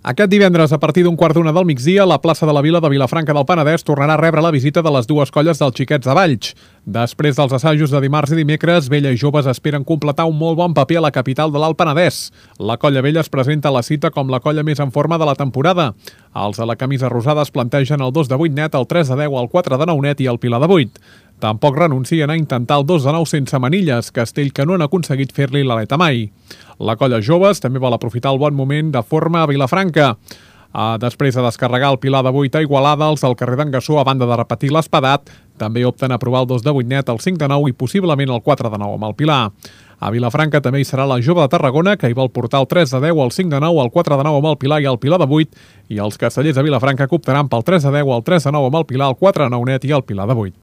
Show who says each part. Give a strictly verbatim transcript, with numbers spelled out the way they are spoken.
Speaker 1: Aquest divendres, a partir d'un quart d'una del migdia, la plaça de la Vila de Vilafranca del Penedès tornarà a rebre la visita de les dues colles dels Xiquets de Valls. Després dels assajos de dimarts i dimecres, Vella i Joves esperen completar un molt bon paper a la capital de l'Alt Penedès. La colla Vella es presenta a la cita com la colla més en forma de la temporada. Els de la camisa rosada es plantegen el dos de vuit net, el tres de deu, el quatre de nou net i el pilar de vuit. Tampoc renuncien a intentar el dos de nou sense manilles, castell que no han aconseguit fer-li l'aleta mai. La colla Joves també vol aprofitar el bon moment de forma a Vilafranca. Uh, després de descarregar el pilar de vuit a Igualada, els del carrer d'en Gassó, a banda de repetir l'espadat, també opten a provar el dos de vuit net, el cinc de nou i possiblement el quatre de nou amb el pilar. A Vilafranca també hi serà la Jove de Tarragona, que hi vol portar el tres de deu, el cinc de nou, el quatre de nou amb el pilar i el pilar de vuit, i els castellers de Vilafranca que optaran pel tres de deu, el tres de nou amb el pilar, el quatre de nou net i el pilar de vuit.